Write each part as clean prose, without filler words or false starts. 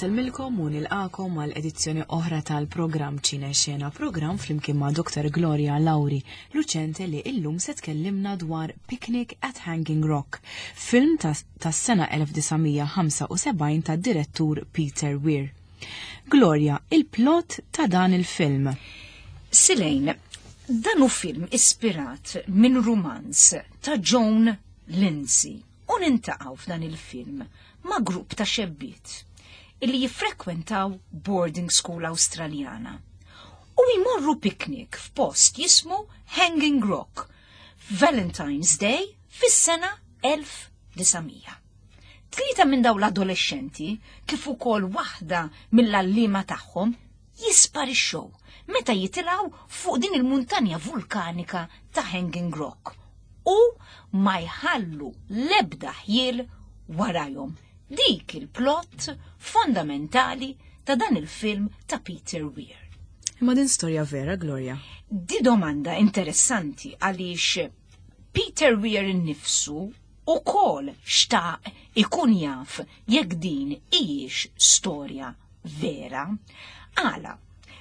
Insellmilkom u nilqakom għal edizzjoni oħra tal-programm Ċine Xena, programm flimkien ma' Dr. Gloria Lauri Lucente li illum se tkellimna dwar Picnic at Hanging Rock, film tas-sena 1975 tad-direttur Peter Weir. Gloria, il-plot ta' dan il-film. Silejn, dan hu film ispirat minn rumanz ta' Joan Lindsay u nintaqgħu f'dan il-film ma' grupp ta' xebbiet illi jiffrekwentaw boarding school Awstraljana u jmorru picnic f'post jismu Hanging Rock f'Valentine's Day fis-sena 1900. Tlieta minn dawn l-adolexxenti, kif ukoll waħda mill-għalliema tagħhom, jisparixxew meta jitilgħu fuq din il-muntanja vulkanika ta' Hanging Rock u ma jħallu l-ebda ħjiel warajhom. Dik il-plot fondamentali ta' dan il-film ta' Peter Weir. Imma din storja vera, Gloria? Di domanda interessanti għaliex Peter Weir innifsu ukoll xtaq ikun jaf jekk din hijiex storja vera. Għala,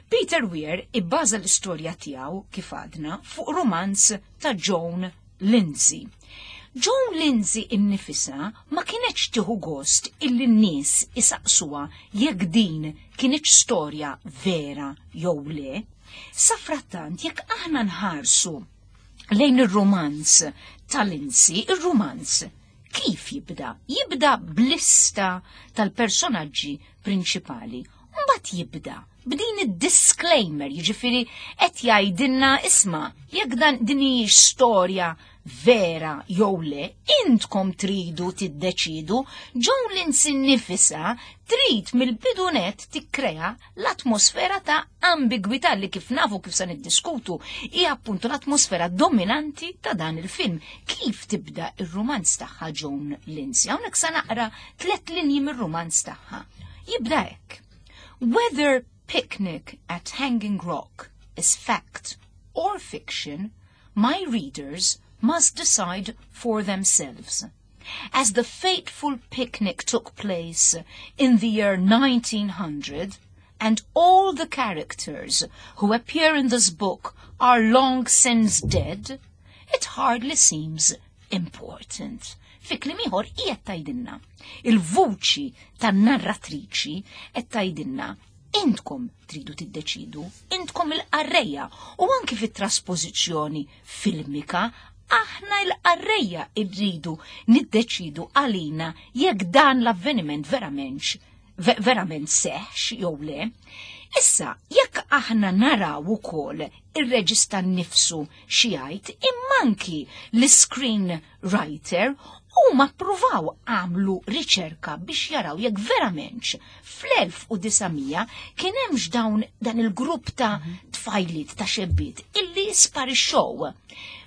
Peter Weir ibbaża l-istorja tiegħu kif għadna fuq rumanz ta' Joan Lindsay. Joan Lindsay innifisha ma kinetx tieħu gost illi n-nies isaqsuha jekk din kinitx storja vera jew le. Safrattant jekk aħna nħarsu lejn ir-rumanz ta' Lindsay, ir-rumanz kif jibda? Jibda b'lista tal-personaġġi prinċipali. Mbagħad jibda b'din id-disclaimer, jiġifieri qed jgħidilna isma' jekk dan din hijiex storja vera jew le, intkom tridu tiddeċidu, Joan Lindsay nnifisha trid mill-bidu nett tikkrea l-atmosfera ta' ambigwità li kif nafu kif se niddiskutu hija appuntu l-atmosfera dominanti ta' dan il-film. Kif tibda ir-rumanz tagħha Joan Lindsay? Hawnhekk se naqra tliet linji mir-rumanz tagħha. Jibda hekk. Whether picnic at Hanging Rock is fact or fiction, my readers must decide for themselves. As the fateful picnic took place in the year 1900, and all the characters who appear in this book are long since dead, it hardly seems important. Fi kliem ieħor qiegħed tgħidilna. Il-vuċi tan-narratriċi qed tgħidilna intkom tridu tiddeċidu, intkom il-qarrejja u anki fit-traspożizzjoni filmika aħna l-qarrejja rridu niddeċidu għalina jekk dan l-avveniment verament verament seħx jew le. Issa, jekk aħna naraw ukoll ir-reġista nnifsu xi jgħid, imma anki l-screen writer huma ppruvaw għamlu riċerka biex jaraw jekk verament fl-1900 kien hemmx dawn dan il-grupp ta' tfajliet ta' xebbiet illi sparixxew.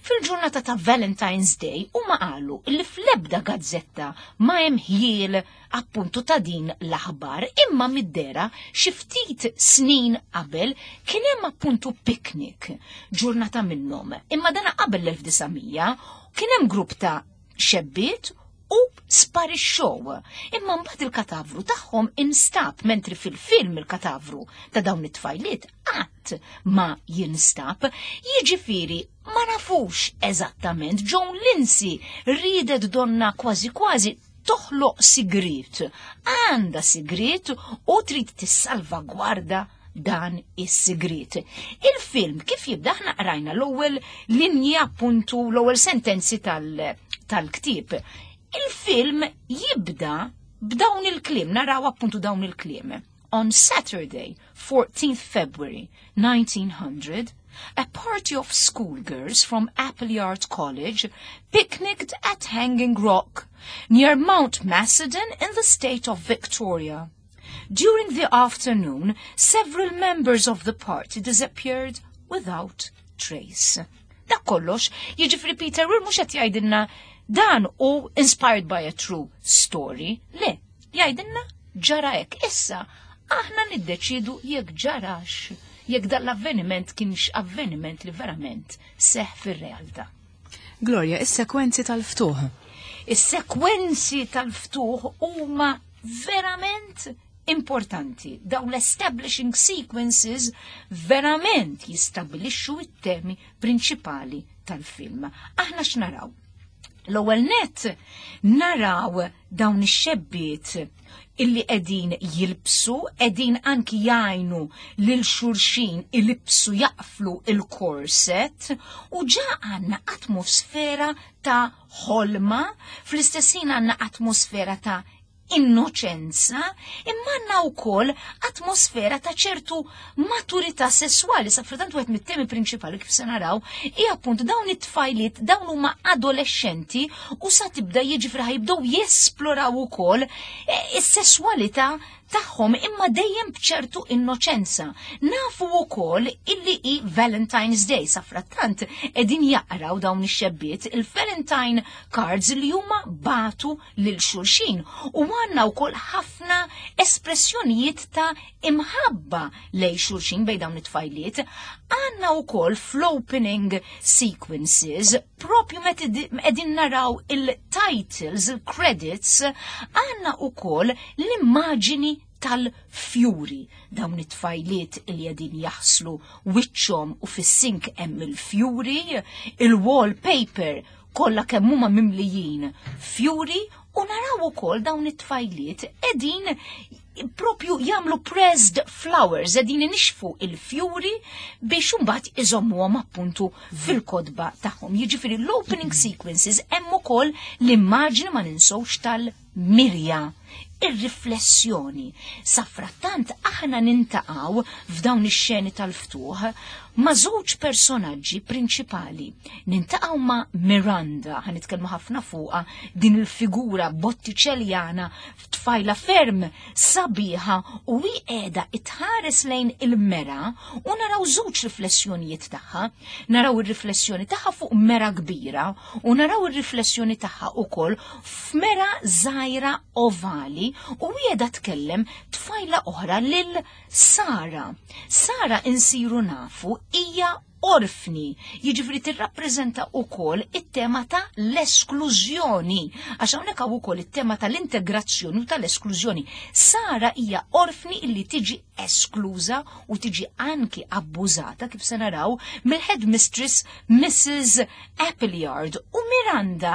Fil-ġurnata ta' Valentine's Day huma qalu li fl-ebda gazzetta ma hemm ħjiel appuntu ta' din l-aħbar imma mid-dera xi ftit snin qabel kien hemm appuntu picnic ġurnata minnhom imma dana qabel l-1900 kien hemm grupp ta' xebbiet u sparixxew. Imma mbagħad il-katavru tagħhom instab mentri fil-film il-katavru ta' dawn it-tfajliet qatt ma jinstab. Jiġifieri ma nafux eżattament Joan Lindsay riedet donna kważi kważi toħloq sigriet. Għandha sigriet u trid tissalvagwarda dan is-sigriet. Il-film kif jibda aħna qrajna l-ewwel linji appuntu l-ewwel sentenzi tal-ktieb. Il-film jibda b'dawn il-kliem, naraw appuntu dawn il-kliem. On Saturday, 14th February 1900, a party of schoolgirls from Appleyard College picnicked at Hanging Rock, near Mount Macedon in the state of Victoria. During the afternoon, several members of the party disappeared without trace. Dak kollox, jiġifieri Peter Weir mhux qed jgħidilna dan hu inspired by a true story. Le, jgħidilna ġara hekk. Issa, aħna niddeċidu jekk ġarax, jekk dan l-avveniment kienx avveniment li verament seħ fir-realtà. Gloria, is-sekwenzi tal-ftuħ. Is-sekwenzi tal-ftuħ huma verament importanti. Dawn l-establishing sequences verament jistabilixxu it-temi prinċipali tal-film. Aħna x'naraw? L-ewwel net naraw dawn ix-xebbiet illi qegħdin jilbsu, qegħdin anki jgħinu lil xulxin ilibsu jaqflu il-korset u ġa għandna atmosfera ta' ħolma, fl-istess ħin għandna atmosfera ta' innoċenza, imma għandna wkoll atmosfera ta' ċertu maturità sesswali. Sa frattant wieħed mit-temi prinċipali kif se naraw hija appunt dawn it-tfajliet dawn huma adolescenti u sa tibda jiġifieri ħajbdew jesploraw ukoll eh, is-sesswalità tagħhom imma dejjem b'ċertu innoċenza. Nafu wkoll illi hi Valentine's Day sa frattant qegħdin jaqraw dawn ix-xebbiet il-Valentine cards li huma batu lil xulxin u għandna wkoll ħafna espressjonijiet ta' imħabba lej xulxin bejn dawn it-tfajliet. Għandna wkoll fl-opening sequences propju meta qegħdin naraw il-titles, il-credits, għandna wkoll l-immaġini tal-fjuri. Dawn it-tfajliet li qegħdin jaħslu wiċċhom u fis-sink hemm il-fjuri, il-wallpaper kollha kemm huma mimlijin fjuri u naraw ukoll dawn it-tfajliet qegħdin propju jagħmlu pressed flowers, qegħdin inixfu il-fjuri biex imbagħad iżommuhom appuntu fil-kotba tagħhom. Jiġifieri l-opening sequences hemm ukoll l-immaġni ma ninsewx tal-mirja ir-riflessjoni. Safrattant aħna nintaqgħu f'dawn ix-xeni tal-ftuħ ma' żewġ personaġġi prinċipali. Nintaqgħu ma' Miranda, ħa nitkellmu ħafna fuqha din il-figura bottiċeljana f'tfajla ferm sabiħa u hi qiegħda itħares lejn il-mera u naraw żewġ riflessjonijiet tagħha. Naraw ir-riflessjoni tagħha fuq mera kbira u naraw ir-riflessjoni tagħha ukoll f'mera żgħira ovali u hi qiegħda tkellem tfajla oħra lil Sara. Sara insiru nafu hija orfni, jiġifieri tirrappreżenta wkoll it-tema ta' l-esklużjoni, għax hawnhekk hawn ukoll it-tema tal-integrazzjoni u tal-esklużjoni. Sara hija orfni illi tiġi eskluża u tiġi anki abbużata kif se naraw mill-headmistress Mrs. Appleyard u Miranda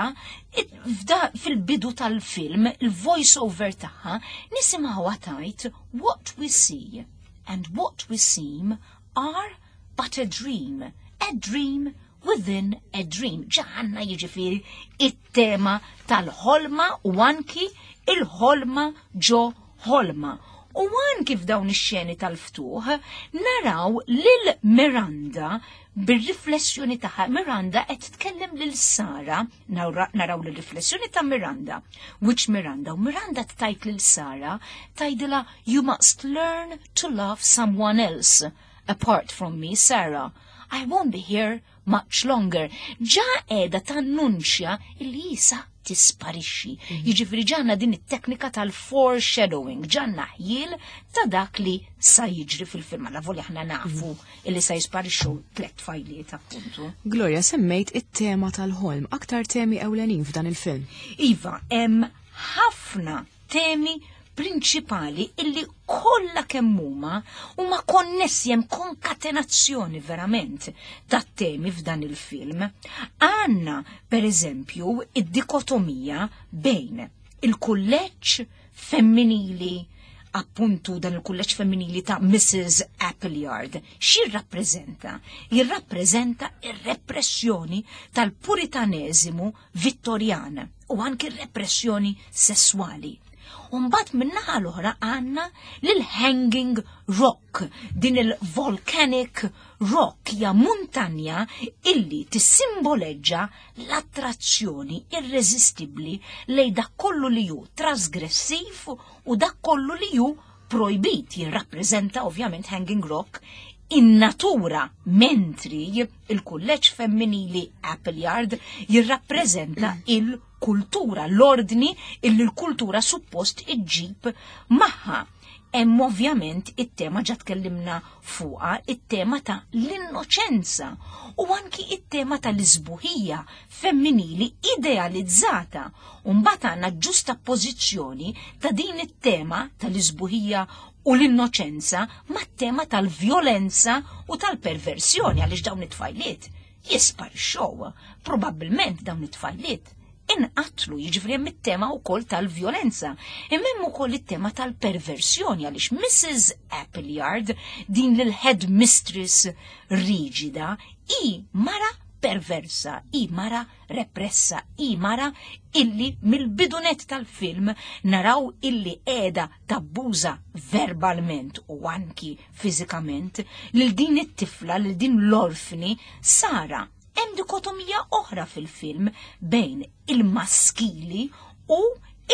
fil-bidu tal-film il-voice over tagħha nisimgħuha tajt What we see and what we seem are but a dream, a dream within a dream. Ġaħanna jiġifieri it-tema tal-ħolma u anki il-ħolma ġo ħolma. U anki f'dawn ix-xeni tal-ftuħ naraw lil Miranda bir-riflessjoni tagħha. Miranda qed tkellem lil Sara, naraw l-riflessjoni ta' Miranda, which Miranda, u Miranda tgħid lil Sara, tgħidilha you must learn to love someone else apart from me, Sarah. I won't be here much longer. Ġa qiegħda tannunċja li jisa tisparixxi. Jiġifieri ġanna din it-teknika tal-foreshadowing, ġanna ħjiel ta' dak li sa jiġri fil-film. Alla voli aħna nafu illi sa jisparixxu tliet tfajliet appuntu. Gloria, semmejt it-tema tal-ħolm, aktar temi ewlenin f'dan il-film. Iva, hemm ħafna temi prinċipali illi kollha kemm huma huma konnessi hemm konkatenazzjoni verament ta' temi f'dan il-film. Għandna per eżempju id-dikotomija bejn il-kulleġġ femminili appuntu dan il-kulleġġ femminili ta' Mrs. Appleyard. X'jirrappreżenta? Jirrappreżenta ir-repressjoni tal-puritaneżimu Vittorjan u anki r-repressjoni sesswali. Umbat min-naħa l-oħra għandna lil Hanging Rock, din il-volcanic rock hija muntanja illi tissimboleġġa l-attrazzjoni irreżistibbli lejn dak kollu li hu trasgressiv u dak kollu li hu projbit jirrappreżenta ovvjament Hanging Rock in-natura mentri il-kulleġġ femminili Appleyard jirrappreżenta il-kultura, l-ordni illi l-kultura suppost iġġib magħha. Hemm ovvjament it-tema ġa tkellimna fuqha, it-tema ta' l-innoċenza u anki it-tema tal-isbuħija femminili idealizzata. U mbagħad għandna ġustappożizzjoni ta' din it-tema tal-isbuħija u l-innoċenza mat-tema tal-vjolenza u tal-perversjoni għaliex dawn it-tfajliet jisparixxew. Probabbilment dawn it-tfajliet inqatlu, jiġifieri hemm it-tema wkoll tal-vjolenza. Imma hemm ukoll it-tema tal-perversjoni għaliex Mrs. Appleyard, din l-head mistress riġida, hi mara perversa, hi mara repressa, hi mara illi mill-bidunet tal-film naraw illi qiegħda tabbuża verbalment u anki fiżikament lil din it-tifla, lil din l-orfni Sara. Hemm dikotomija oħra fil-film bejn il-maskili u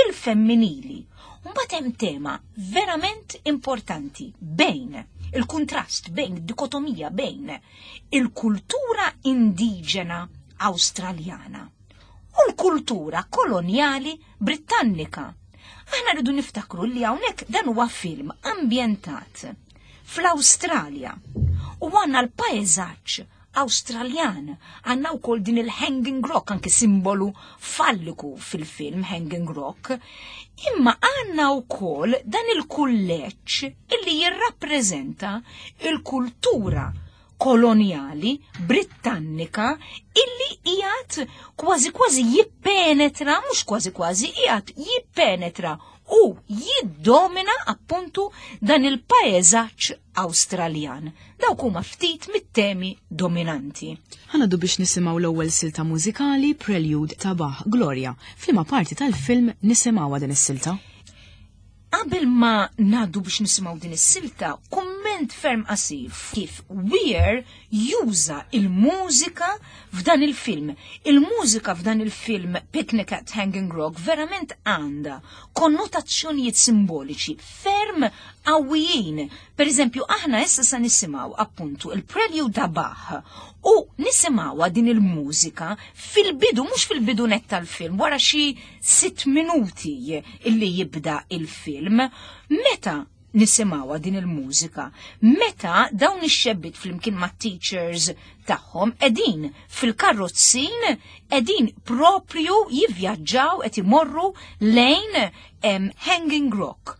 il-femminili. Mbagħad hemm tema verament importanti bejn il-kuntrast bejn id-dikotomija bejn il-kultura indiġena Awstraljana u l-kultura kolonjali Britannika. Aħna rridu niftakru li hawnhekk dan huwa film ambjentat fl-Awstralja u għandna l-paeżaġġ Awstraljan. Għandna wkoll din il-Hanging Rock, anki simbolu falliku fil-film Hanging Rock. Imma għandna wkoll dan il-kulleġġ illi jirrappreżenta il-kultura kolonjali Brittannika illi qiegħed kważi kważi jippenetra, mhux kważi kważi, qiegħed jippenetra u jiddomina appuntu dan il-paeżaġġ Awstraljan. Dawk huma ftit mit-temi dominanti. Ħanadu biex nisimgħu l-ewwel silta mużikali Prelude ta' Bach Gloria. F'liema parti tal-film nisimgħuha din is-silta? Qabel ma ngħaddu biex nisimgħu din is-silta, kumment ferm qasir kif Weir juża il-mużika f'dan il-film. Il-mużika f'dan il-film Picnic at Hanging Rock verament għandha konnotazzjonijiet simboliċi ferm qawwijin. Per eżempju, aħna issa sa nisimgħu appuntu il-Prelude ta' Bach u nisimgħuha din il-mużika fil-bidu, mhux fil-bidu net tal-film, wara xi 6 minuti illi jibda il-film, meta nisimgħuha din il-mużika, meta dawn ix-xebbiet flimkien mat-teachers tagħhom qegħdin fil-karrozzin qegħdin propju jivvjaġġaw qed imorru lejn Hanging Rock.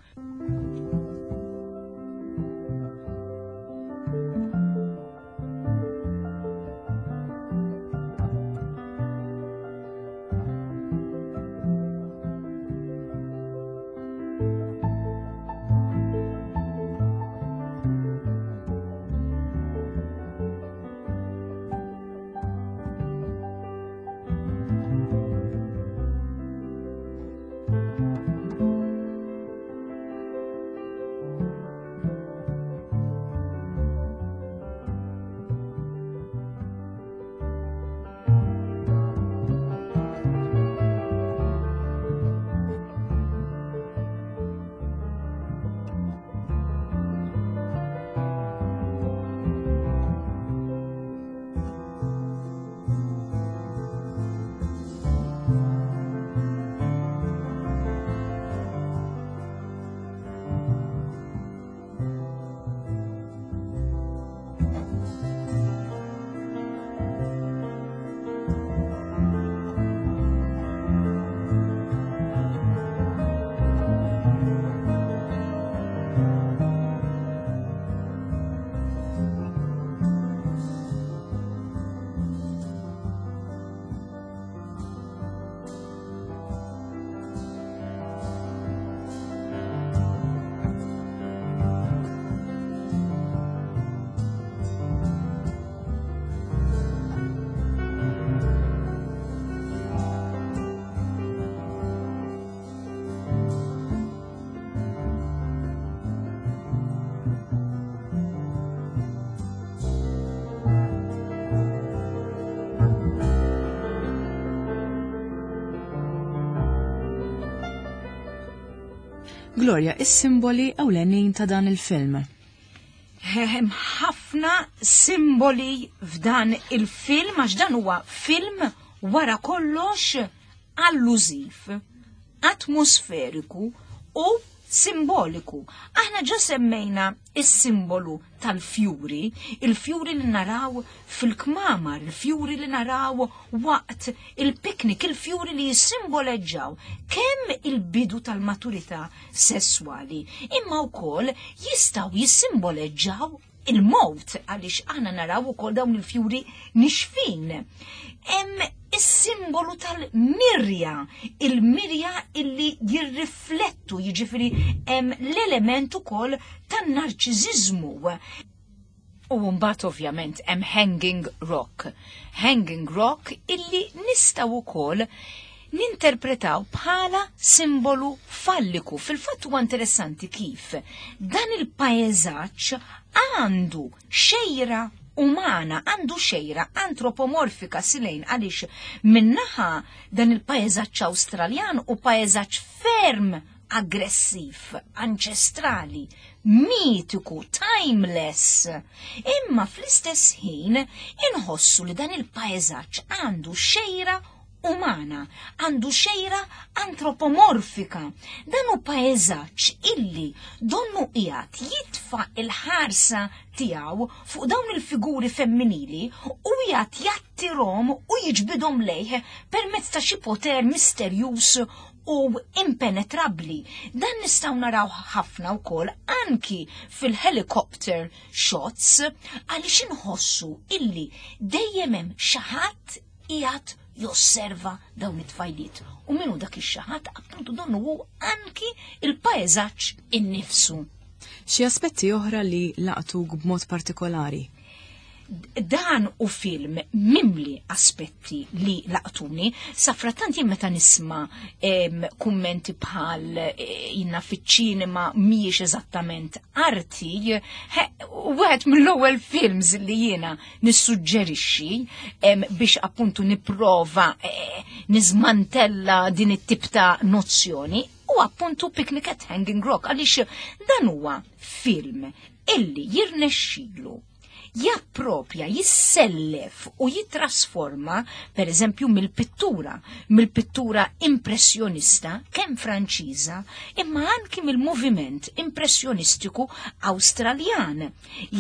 Gloria, is-simboli ewlenin ta' dan il-film. Hemm ħafna simboli f'dan il-film għax dan huwa film wara kollox allużiv, atmosferiku u simboliku. Aħna ġa semmejna is-simbolu tal-fjuri, il-fjuri li naraw fil-kmamar, il-fjuri li naraw waqt il-piknik, il-fjuri li jissimboleġġaw kemm il-bidu tal-maturità sesswali, imma wkoll jistgħu jissimboleġġaw il-mowt għaliex aħna naraw ukoll dawn il-fjuri nixfin. Hemm is-simbolu tal-mirja, il-mirja illi jirriflettu, jiġifieri hemm l-element ukoll tan-narċiżiżmu. U mbagħad ovvjament hemm Hanging Rock. Hanging Rock illi nistgħu wkoll ninterpretaw bħala simbolu falliku. Fil-fatt huwa interessanti kif dan il-paeżaġġ għandu xejra umana, għandu xejra antropomorfika silejn għaliex minnaħa dan il-paeżaġġ Awstraljan u paeżaġġ ferm aggressiv, anċestrali, mitiku, timeless. Imma fl-istess ħin inħossu li dan il-paeżaġġ għandu xejra umana, għandu xejra antropomorfika. Dan hu paeżaġġ illi donnu qiegħed jitfa' il-ħarsa tiegħu fuq dawn il-figuri femminili u qiegħed jattirhom u jiġbidhom lejh permezz ta' xi poter misterjuż u impenetrabbli. Dan nistgħu naraw ħafna wkoll anki fil-helicopter shots għaliex inħossu illi dejjem hemm xi ħadd qiegħed josserva dawn it-tfajliet. U minnu dak ix-xi ħadd appuntu donnu hu anki il-paeżaġġ innifsu. Xi aspetti oħra li laqtuk b'mod partikolari? Dan u film mimli aspetti li laqtuni, safrattant jien meta nisma kummenti bħal eh, jinna fiċ-ċinema mhijiex eżattament arti, wieħed mill-ewwel films li jiena nissuġġerixxi biex appuntu nipprova eh, niżmantella din it-tip ta' nozzjoni u appuntu Picnic at Hanging Rock għaliex dan huwa film illi jirnexxilu jappropja, jissellef u jitrasforma, per eżempju, mill-pittura, mill-pittura impressjonista, kemm Franċiża, imma anki mill-moviment impressjonistiku Awstraljan.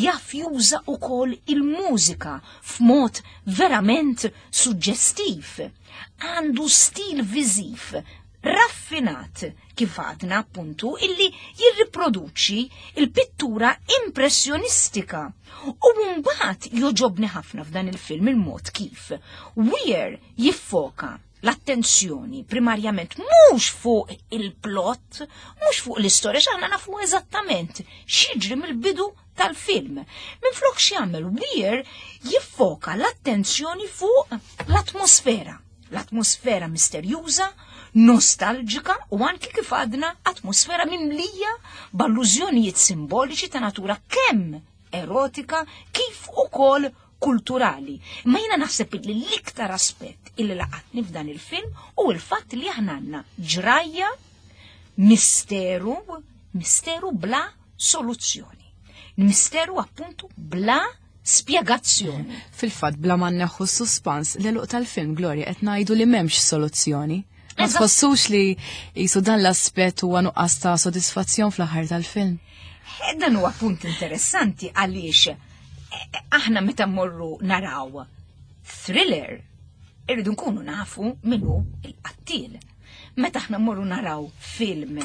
Jaf juża wkoll il-mużika f'mod verament suġġestiv. Għandu stil viżiv raffinat kif għadna appuntu illi jirriproduċi il-pittura impressjonistika. U mbagħad joġobni ħafna f'dan il-film il-mod kif Weir jiffoka l-attenzjoni primarjament mhux fuq il-plot, mhux fuq l-istorja, x'aħna nafu eżattament x'jiġri mill-bidu tal-film. Minflok x'jagħmel Weir jiffoka l-attenzjoni fuq l-atmosfera. L-atmosfera misterjuża, nostalġika u anki kif għadna atmosfera mimlija b'allużjonijiet simboliċi ta' natura kemm erotika kif ukoll kulturali. Ma jiena naħseb li l-iktar aspett illi laqatni f'dan il-film u l-fatt li aħna għandna ġrajja misteru, misteru bla soluzzjoni. Misteru appuntu bla spjegazzjoni. Fil-fatt bla ma nneħħu s-suspans l-għeluq tal-film Gloria qed ngħidu li m'hemmx soluzzjoni. Ma tħossux li jisu dan l-aspett huwa nuqqas ta' sodisfazzjon fl-aħħar tal-film? Eh, dan huwa punt interessanti għaliex eh, aħna meta mmorru naraw thriller irridu nkunu nafu minnu il-qattil. Meta aħna mmorru naraw film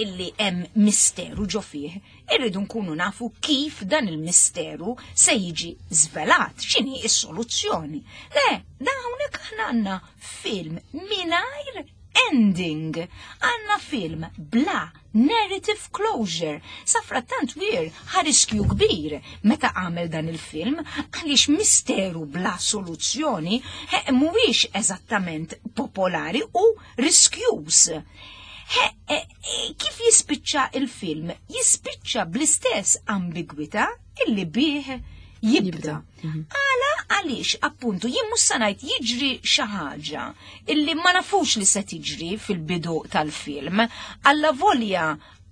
illi hemm misteru ġo fih, irridu nkunu nafu kif dan il-misteru se jiġi żvelat, x'inhi s-soluzzjoni. Le, da hawnhekk aħna għandna film mingħajr ending. Għandna film bla narrative closure. Safrattant Weir ħa riskju kbir meta għamel dan il-film għaliex misteru bla soluzzjoni mhuwiex eżattament popolari u riskjuż. E, kif jispiċċa il-film? Jispiċċa bl-istess ambigwità illi bih jibda. Mhm. Għala għaliex appuntu jien mhux se ngħid jiġri xi ħaġa illi ma nafux li se tiġri fil-bidu tal-film, alla volja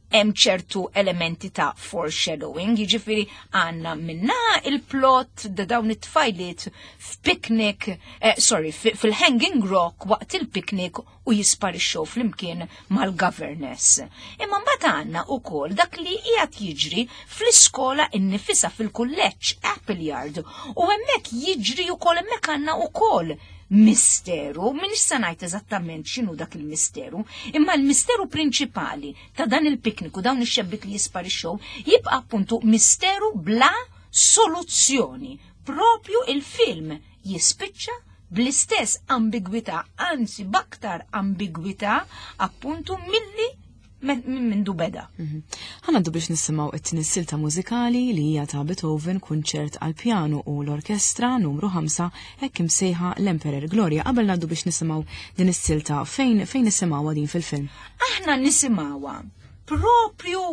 hemm ċertu elementi ta' foreshadowing, jiġifieri għandna minna il-plot da dawn it-tfajliet f'picnic, eh, sorry, fil-Hanging Rock waqt il-picnic. u jisparixxew flimkien mal-governess. Imma mbagħad għandna wkoll dak li qiegħed jiġri fl-iskola innifisha fil-kulleġġ Appleyard u hemmhekk jiġri wkoll hemmhekk għandna wkoll misteru, minix se ngħid eżattament x'inhu dak il-misteru, imma l-misteru prinċipali ta' dan il-piknik u dawn ix-xebbiet li jisparixxew jibqa' appuntu misteru bla soluzzjoni. Propju il-film jispiċċa bl-istess ambigwità, anzi b'aktar ambigwità appuntu milli minn mindu beda. Mhm. Ħanaddu biex nisimgħu it-tieni silta mużikali li hija ta' Beethoven kunċert għal pjanu u l-orkestra numru 5 hekk imsejħa l-Emperor Gloria. Qabel ngħaddu biex nisimgħu din is-silta fejn fejn nisimgħuha din fil-film? Aħna nisimgħuha propju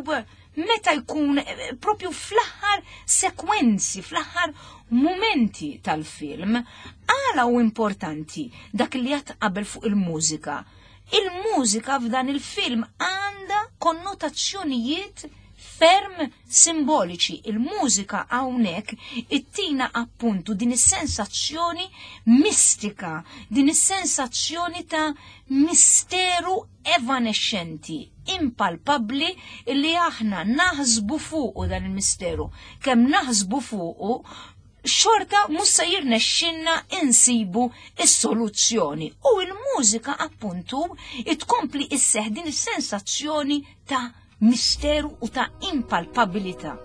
meta jkun propju fl-aħħar sekwenzi, fl-aħħar mumenti tal-film. Għala u importanti dak li għat qabel fuq il-mużika. Il-mużika f'dan il-film għandha konnotazzjonijiet ferm simboliċi. Il-mużika hawnhekk ittina appuntu din is-sensazzjoni mistika, din is-sensazzjoni ta' misteru evanexxenti, impalpabbli li aħna naħsbu fuqu dan il-misteru. Kemm naħsbu fuqu, xorta mhux se jirnexxinna insibu is-soluzzjoni. U l-mużika appuntu tkompli isseħ din is-sensazzjoni ta' misteru u ta' impalpabilità.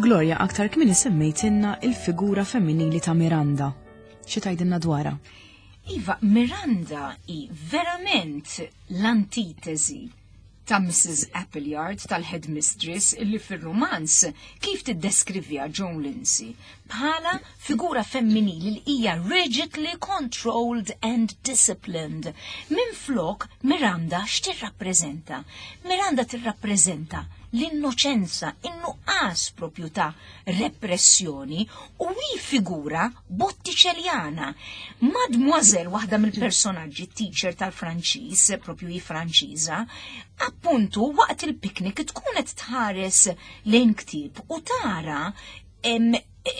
Gloria, aktar kmieni semmejtilna il-figura femminili ta' Miranda. Xi tgħidilna dwarha? Iva, Miranda hi verament l-antitesi. ta' Mrs. Appleyard tal-headmistress illi fir-rumanz kif tiddeskriviha Joan Lindsay bħala figura femminili li hija rigidly controlled and disciplined. Minflok Miranda x'tirrappreżenta? Miranda tirrappreżenta l-innoċenza, in-nuqqas propju ta' repressjoni u hi figura Botticelliana. Mademoiselle, waħda mill-personaġġi teacher tal-Franċiż, propju hi Franċiża, appuntu waqt il-piknik tkun qed tħares lejn ktieb u tara em,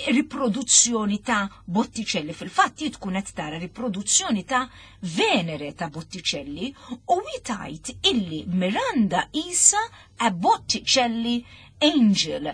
riproduzzjoni ta' Botticelli. Fil-fatt tkun qed tara riproduzzjoni ta' Venere ta' Botticelli u hi tgħid illi Miranda isa a Botticelli Angel.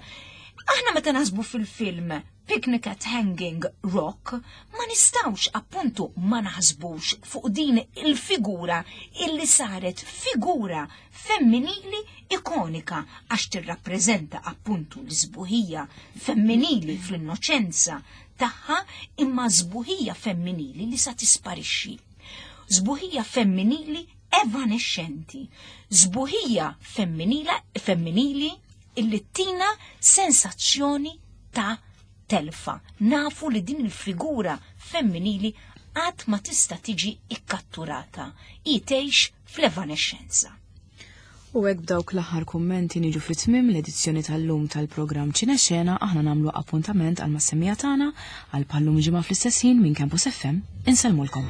Aħna meta naħsbu fil-film Picnic at Hanging Rock, ma nistawx appuntu ma naħsbux fuq din il-figura illi saret figura femminili ikonika għax tirrappreżenta appuntu l-sbuħija femminili fl-innoċenza tagħha imma sbuħija femminili li sa tisparixxi. Sbuħija femminili evanexxenti, sbuħija femminila femminili illi tina sensazzjoni ta' telfa. Nafu li din il-figura femminili qatt ma tista' tiġi ikkatturata. Hi tgħix fl-evanexxenza. U hekk b'dawk l-aħħar kummenti niġu fi tmiem l-edizzjoni tal-lum tal-programm Ċinexena aħna nagħmlu appuntament għal mas-semmiegħa tagħna għal bħal-lum ġimgħa fl-istess ħin minn Campus FM. Insellmulkom.